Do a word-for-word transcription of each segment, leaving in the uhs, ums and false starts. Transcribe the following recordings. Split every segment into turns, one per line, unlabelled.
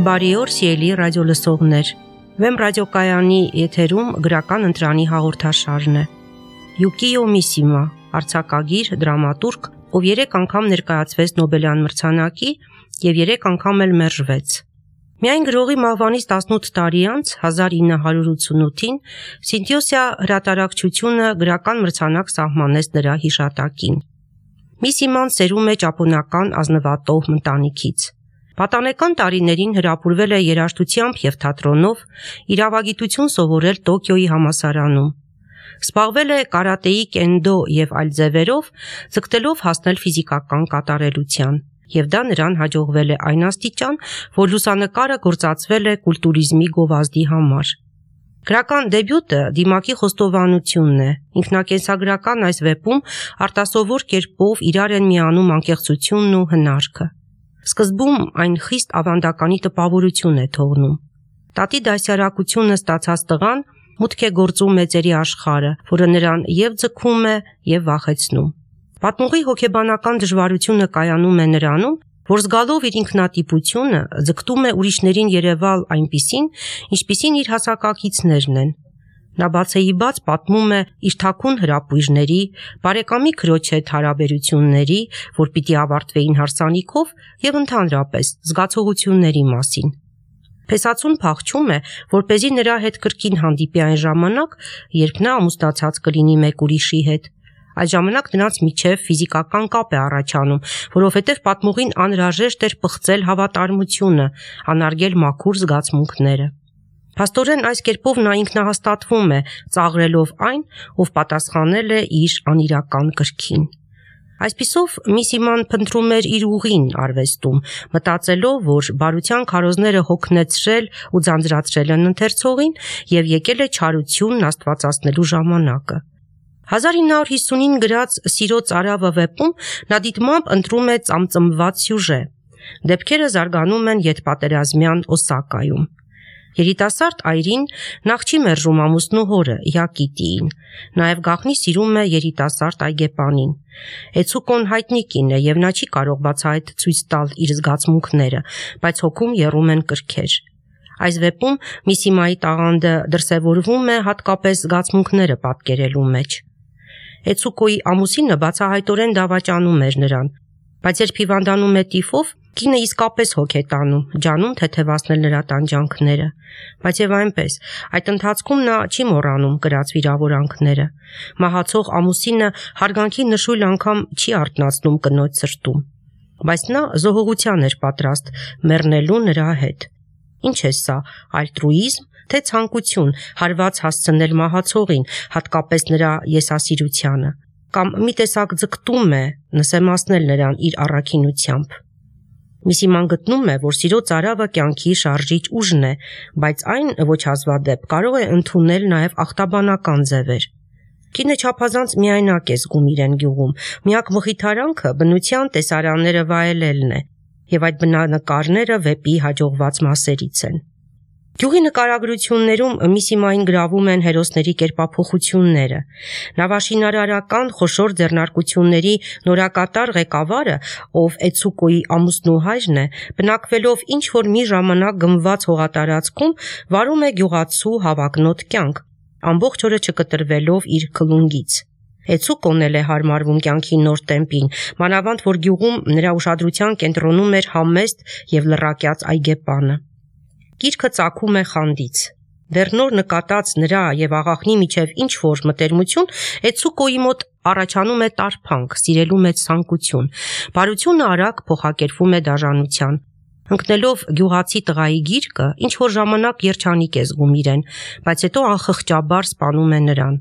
Բարի օր, սիրելի ռադիոլսողներ։ Վեմ ռադիոկայանի եթերում գրական ընտրանի հաղորդաշարն է։ Յուկիո Միսիմա, արձակագիր, դրամատուրգ, ով երեք անգամ ներկայացվեց Նոբելյան մրցանակի եւ երեք անգամ էլ մերժվեց։ Միայն գրողի մահվանից տասնութ տարի անց հազար ինը հարյուր ութսունութին Սինթիոսիա հրատարակչությունը գրական մրցանակ սահմանեց նրա հիշատակին։ Միսիման սերում է ճապոնական ազնվատոհ ընտանիքից։ Պատանեկան տարիներին հրապուրվել է երաժշտությամբ եւ թատրոնով, իրավագիտություն սովորել Տոկիոյի համալսարանում։ Զբաղվել է կարատեի, կենդո եւ այլ ձևերով, ձգտելով հասնել ֆիզիկական կատարելության, եւ դա նրան հաջողվել է այն աստիճան, որ լուսանկարը գործածվել է կուլտուրիզմի գովազդի համար։ Գրական դեբյուտը դիմակի խոստովանությունն է։ Ինքնակենսագրական այս վեպում արտասովոր կերպով իրար են միանում անկեղծությունն ու հնարքը։ Սկզբում այն խիստ ավանդականի տպավորություն է թողնում։ Տատի դասյարակությունը ստացած տղան մուտք է գործում մեծերի աշխարհը, որը նրան եւ ձգում է եւ վախեցնում։ Պատմողի հոգեբանական դժվարությունը կայանում է նրանում, որ զգալով իր ինքնատիպությունը ձգտում է ուրիշներին երևալ այնպիսին, ինչպիսին իր հասակակիցներն են։ Նա բացեիբաց պատմում է իր թաքուն հրապույժների, բարեկամի քրոջ հետ հարաբերությունների, որ պիտի ավարտվեին հարսանիքով, եւ ընդհանրապես զգացողությունների մասին։ Փեսացուն փախչում է, որպեսզի նրա հետ կրկին հանդիպի այն ժամանակ, երբ նա ամուսնացած կլինի մեկ ուրիշի հետ։ Այդ ժամանակ նրանց միջև ֆիզիկական կապ է առաջանում, որովհետև պատմողին անհրաժեշտ էր պղծել հավատարմությունը, անարգել մաքուր զգացմունքները։ Փաստորեն այս կերպով նա ինքնահաստատվում է, ծաղրելով այն, ով պատասխանել է իր անիրական կրքին։ Այսպիսով Միսիման փնտրում էր իր ուղին արվեստում, մտածելով, որ բարության քարոզները հոգնեցրել ու ձանձրացրել են ընթերցողին եւ եկել է չարությունն աստվածացնելու ժամանակը։ հազար ինը հարյուր հիսունին գրած Սիրո ծարավը վեպում նա դիտմամբ ընտրում է ծամծմված սյուժե։ Դեպքերը զարգանում են ետպատերազմյան Օսակայում։ Երիտասարդ այրին նախ չի մերժում ամուսնու հորը Յակիտիին, նաև գաղտնի սիրում է երիտասարդ այգեպանին։ Էցուկոն հայտնի կին է եւ նա չի կարող բացահայտ ցույց տալ իր զգացմունքները, բայց հոգում եռում են կրքեր։ Այս վեպում Միսիմայի տաղանդը դրսևորվում է հատկապես զգացմունքները պատկերելու մեջ։ Էցուկոյի ամուսինը բացահայտորեն դավաճանում էր նրան, բայց երբ հիվանդանում է տիֆով, կինը իսկապես հոգ է տանում, ջանում թեթևացնել նրա տանջանքները, բայց եւ այնպես, այդ ընթացքում նա չի մոռանում կրած վիրավորանքները։ Մահացող ամուսինը հարգանքի նշույլ անգամ չի արթնացնում կնոջ սրտում, բայց նա զոհողության էր պատրաստ մեռնելու նրա հետ։ Ինչ է սա, ալտրուիզմ, թե ցանկություն հարված հասցնել մահացողին, հատկապես նրա եսասիրությանը, կամ մի տեսակ ձգտում է նսեմացնել նրան իր առաքինությամբ։ Միսիման գտնում է, որ Սիրո ծարավը կյանքի շարժիչ ուժն է, բայց այն ոչ հազվադեպ կարող է ընդունել նաև ախտաբանական ձևեր։ Կինը չափազանց միայնակ է զգում իրեն գյուղում, միակ մխիթարանքը բնության տեսարանները վայելելն է, եւ այդ բնանկարները վեպի հաջողված մասերից են։ Գյուղի նկարագրություններում Միսիմային գրավում են հերոսների կերպափոխությունները։ Նավաշինարարական խոշոր ձեռնարկությունների նորակատար ղեկավարը, ով Էցուկոյի ամուսնու հայրն է, բնակվելով ինչ-որ մի ժամանակ գմված հողատարածքում, վարում է գյուղացու հավակնոտ կյանք, ամբողջ օրը չկտրվելով իր քլունգից։ Էցուկոն էլ է հարմարվում կյանքի նոր տեմպին, մանավանդ որ գյուղում նրա ուշադրության կենտրոնում էր համեստ եւ լռակյաց այգեպանը։ Գիրքը ծագում է խանդից։ Դեռ նոր նկատած նրա եւ աղախնի միջև ինչ-որ մտերմություն Էցուկոյի մոտ առաջանում է տարփանք, սիրելու մեջ ցանկություն։ Բարությունը արագ փոխակերպվում է դաժանության։ Ընկնելով գյուղացի տղայի գիրկը, ինչ-որ ժամանակ երջանիկ է զգում իրեն, բայց հետո անխղճաբար սպանում է նրան։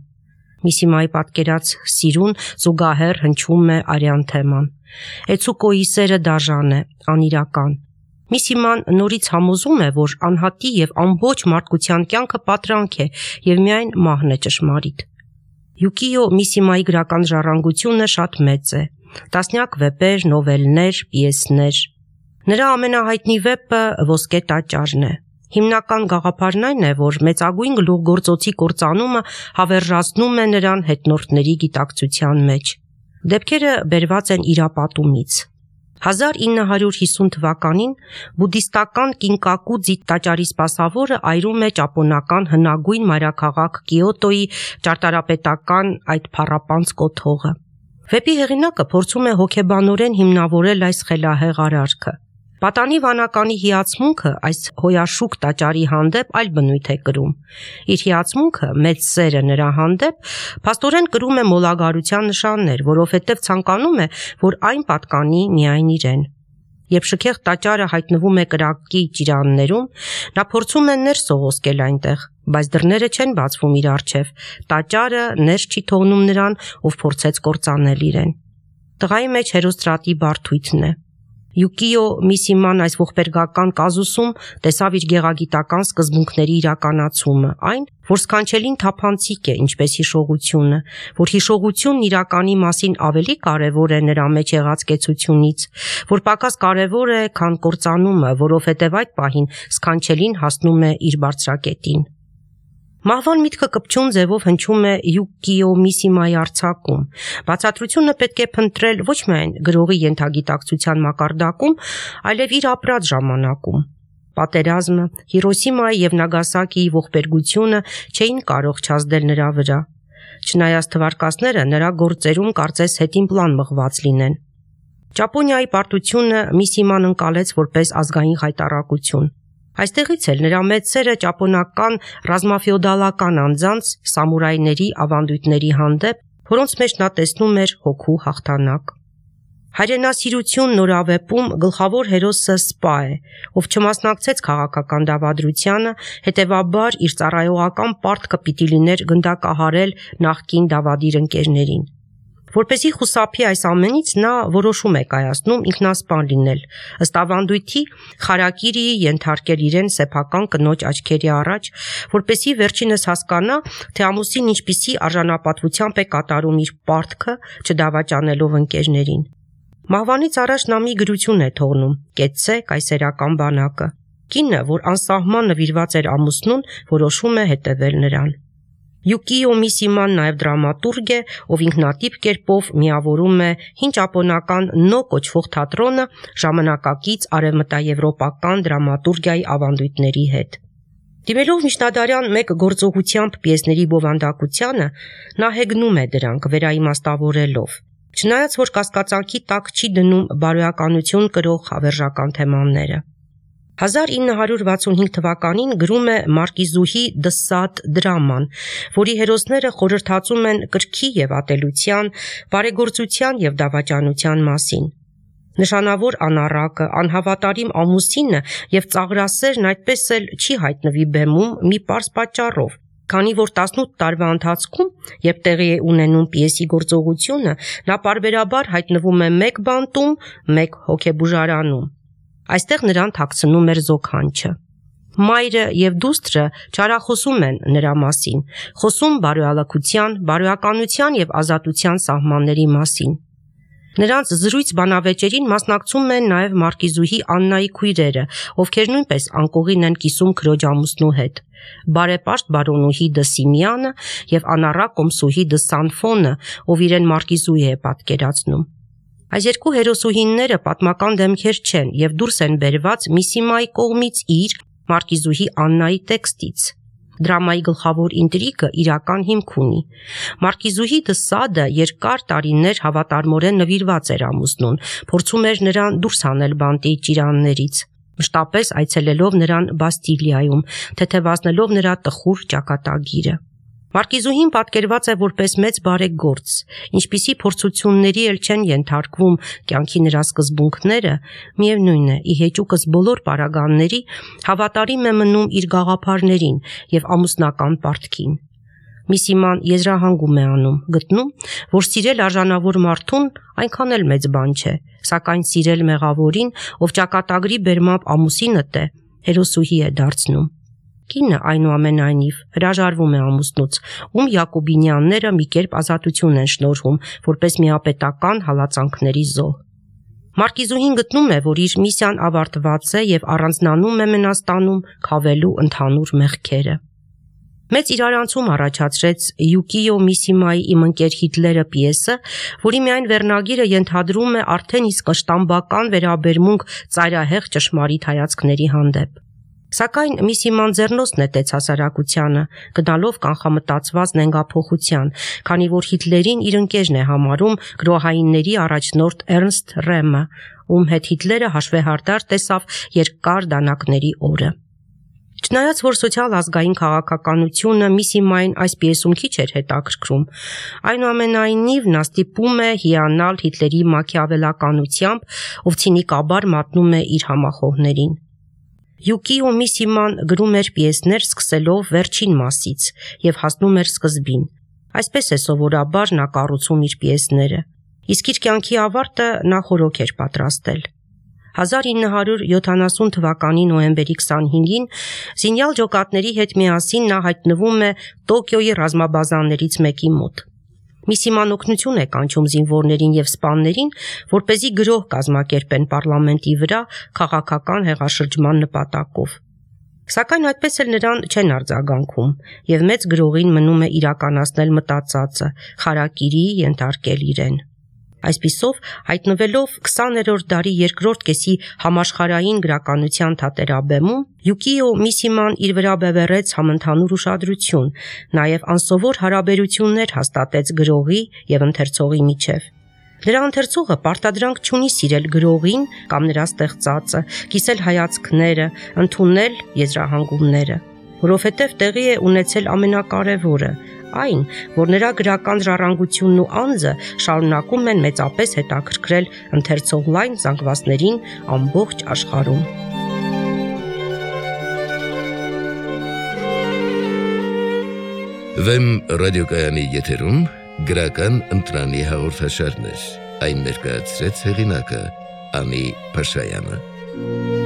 Միսիմայի պատկերած սիրուն զուգահեռ հնչում է արյան թեման։ Էցուկոյի սերը դաժան է, անիրական։ Միսիման նորից համոզում է, որ անհատի եւ ամբողջ մարդկության կյանքը պատրանք է եւ միայն մահն է ճշմարիտ։ Յուկիո Միսիմայի գրական ժառանգությունը շատ մեծ է։ Տասնյակ վեպեր, նովելներ, պիեսներ։ Նրա ամենահայտնի վեպը Ոսկե տաճարն է։ Հիմնական գաղափարն այն է, որ մեծագույն գլուխգործոցի կործանումը հավերժացնում է նրան հետնորդների գիտակցության մեջ։ Դեպքերը բերված են իրապատումից։ հազար ինը հարյուր հիսուն թվականին բուդդիստական Կինկակուձի տաճարի սպասավորը այրում է ճապոնական հնագույն մայրաքաղաք Կիոտոյի ճարտարապետական այդ փառապանծ կոթողը։ Վեպի հեղինակը փորձում է հոգեբանորեն հիմնավորել այս խելահեղ արարքը։ Պատանի վանականի հիացմունքը այս հոյաշուկ տաճարի հանդեպ այլ բնույթ է կրում։ Իր հիացմունքը, մեծ սերը նրա հանդեպ, փաստորեն կրում է մոլագարության նշաններ, որովհետև ցանկանում է, որ այն պատկանի միայն իրեն։ Երբ շքեղ տաճարը հայտնվում է կրակի ճիրաններում, նա փորձում է ներս սողոսկել այնտեղ, բայց դռները չեն բացվում իր առջև։ Տաճարը ներս չի թողնում նրան, ով փորձեց կործանել իրեն։ Տղայի մեջ հերոստրատի բարդույթն է։ Յուկիո Միսիման այս ողբերգական կազուսում տեսավ իր գեղագիտական սկզբունքների իրականացումը, այն, որ սքանչելին թափանցիկ է, ինչպես հիշողությունը, որ հիշողությունն իրականի մասին ավելի կարևոր է նրա մեջ եղած կեցությունից, որ պակաս կարևոր է, քան կործանումը, որովհետև այդ պահին սքանչելին հասնում է իր բարձրակետին։ Մահվան միտքը կպչուն ձևով հնչում է Յուկիո Միսիմայի արձակում։ Բացատրությունը պետք է փնտրել ոչ միայն գրողի ենթագիտակցության մակարդակում, այլև իր ապրած ժամանակում։ Պատերազմը, Հիրոսիմայի եւ Նագասակիի ողբերգությունը չէին կարող չազդել նրա վրա։ Չնայած թվարկածները նրա գործերում կարծես հետին պլան մղված լինեն։ Ճապոնիայի պարտությունը Միսիման ընկալեց որպես ազգային հայտարարություն։ Այստեղից էլ նրա մեծ սերը ճապոնական ռազմաֆեոդալական անձանց, սամուրայների ավանդույթների հանդեպ, որոնց մեջ նա տեսնում էր հոգու հաղթանակ։ Հայրենասիրություն նորավեպում գլխավոր հերոսը Սպա է, ով չմասնակցեց քաղաքական դավադրությանը, հետևաբար իր ծառայողական պարտքը պիտի լիներ գնդակահարել նախկին դավադիր ընկերներին։ Որպեսզի խուսափի այս ամենից, նա որոշում է կայացնում ինքնասպան լինել, ըստ ավանդույթի Խարակիրիի ենթարկել իրեն սեփական կնոջ աչքերի առաջ, որպեսզի վերջինս հասկանա, թե ամուսին ինչպիսի արժանապատվությամբ է կատարում իր պարտքը, չդավաճանելով ընկերներին։ Մահվանից առաջ նա մի գրություն է թողնում՝ կեցցե կայսերական բանակը։ Կինը, որ անսահման նվիրված էր ամուսնուն, որոշում է հետևել նրան։ Յուկիո Միսիման նաև դրամատուրգ է, ով ինքնատիպ կերպով միավորում է հին ճապոնական նո կոչվող թատրոնը ժամանակակից արևմտաեվրոպական դրամատուրգիայի ավանդույթների հետ։ Դիմելով միջնադարյան մեկ գործողությամբ պիեսների բովանդակությանը, նա հեգնում է դրանք վերաիմաստավորելով։ Չնայած որ կասկածանքի տակ չի դնում բարոյականություն կրող հավերժական թեմաները։ հազար ինը հարյուր վաթսունհինգ թվականին գրում է Մարկիզուհի Դը Սադ դրաման, որի հերոսները խորհրդածում են կրքի եւ ատելության, բարեգործության եւ դավաճանության մասին։ Նշանավոր անառակը, անհավատարիմ ամուսինը եւ ծաղրասերն այդպես էլ չի հայտնվի բեմում մի պարզ պատճառով, քանի որ տասնութ տարվա ընթացքում, երբ տեղի է ունենում պիեսի գործողությունը, նա պարբերաբար հայտնվում է մեկ բանտում, մեկ հոգեբուժարանում։ Այստեղ նրան թաքցնում էր զոքանչը։ Մայրը եւ դուստրը չարախոսում են նրա մասին, խոսում բարոյալքության, բարոյականության եւ ազատության սահմանների մասին։ Նրանց զրույց բանավեճերին մասնակցում են նաև Մարկիզուհի Աննայի քույրերը, ովքեր նույնպես անկողին են կիսում քրոջ ամուսնու հետ։ Բարեպաշտ բարոնուհի Դը Սիմեանը եւ անառակ կոմսուհի Դը Սանֆոնը, ով իրեն Մարկիզուհի է պատկերացնում։ Այս երկու հերոսուհիները պատմական դեմքեր չեն եւ դուրս են բերված Միսիմայի կողմից իր Մարկիզուհի Աննայի տեքստից։ Դրամայի գլխավոր ինտրիգը իրական հիմք ունի։ Մարկիզուհի Դը Սադը երկար տարիներ հավատարմորեն նվիրված էր ամուսնուն, փորձում էր նրան դուրս հանել բանտի ճիրաններից, մշտապես այցելելով նրան Բաստիլիայում, թեթևացնելով նրա տխուր ճակատագիրը։ Մարկիզուհին պատկերված է որպես մեծ բարեգործ, ինչպիսի փորձությունների էլ չեն ենթարկվում կյանքի նրա սկզբունքները, միևնույն է, ի հեճուկս բոլոր պարագաների հավատարիմ է մնում իր գաղափարներին եւ ամուսնական պարտքին։ Միսիման եզրահանգում է անում, գտնում, որ սիրել արժանավոր մարդուն այնքան էլ մեծ բան չէ, սակայն սիրել մեղավորին, ով ճակատագրի բերմամբ ամուսինդ է, հերոսուհի է դարձնում։ Կինը այնուամենայնիվ հրաժարվում է ամուսնուց, ում Յակոբինյանները մի կերպ ազատություն են շնորհում, որպես միապետական հալածանքների զոհ։ Մարկիզուհին գտնում է, որ իր միսիան ավարտված է եւ առանձնանում է Մենաստանում քավելու ընդհանուր մեղքերը։ Մեծ իրարանցում առաջացրեց Յուկիո Միսիմայի «Իմ ընկեր Հիտլերը» պիեսը, որի միայն վերնագիրը ենթադրում է արդեն իսկ ըշտամբական վերաբերմունք ծայրահեղ ճշմարիտ հայացքների հանդեպ։ Սակայն Միսիման ձեռնոց նետեց հասարակությանը, գնալով կանխամտածված նենգափոխության, քանի որ Հիտլերին իր ընկերն է համարում գրոհայինների առաջնորդ Էրնստ Ռեմը, ում հետ Հիտլերը հաշվեհարդար տեսավ երկար դանակների օրը։ Չնայած որ սոցիալ-ազգային քաղաքականությունը Միսիմային այս պիեսում քիչ էր հետաքրքրում, այնուամենայնիվ նա ստիպում է հիանալ Հիտլերի մաքիավելականությամբ, ով ցինիկաբար մատնում է իր համախոհներին։ Յուկիո Միսիման գրում էր պիեսներ սկսելով վերջին մասից եւ հասնում էր սկզբին։ Այսպես է սովորաբար նա կառուցում իր պիեսները, իսկ իր կյանքի ավարտը նա խորոք էր պատրաստել։ հազար ինը հարյուր յոթանասուն թվականի նոյեմբերի քսանհինգին զինյալ ջոկատների հետ միասին նա հայտնվում է Տոկիոյի ռազմաբազաներից մեկի մոտ։ Միսիման օգնություն է կանչում զինվորներին եւ սպաներին, որպեսզի գրոհ կազմակերպեն պարլամենտի վրա քաղաքական հեղաշրջման նպատակով։ Սակայն այդպես էլ նրան չեն արձագանքում, եւ մեծ գրողին մնում է իրականացնել մտածածը, խարակիրի ենթարկել իրեն։ Այսպիսով, հայտնվելով քսաներորդ դարի երկրորդ կեսի համաշխարհային գրականության թատերաբեմում, Յուկիո Միսիման իր վրա բևեռեց համընդհանուր ուշադրություն, նաև անսովոր հարաբերություններ հաստատեց գրողի եւ ընթերցողի միջև։ Նրա ընթերցողը պարտադրանք չունի սիրել գրողին կամ նրա ստեղծածը, կիսել հայացքները, ընդունել եզրահանգումները, որովհետև տեղի է ունեցել ամենակարևորը, այն, որ նրա գրական ժառանգությունն ու անձը շարունակում են մեծապես հետաքրքրել ընթերցող լայն զանգվածներին ամբողջ աշխարհում։
Վեմ ռադիոկայանի եթերում գրական ընտրանի հաղորդաշարներ, այն ներկայացրեց հեղինակը Անի Փաշայանը։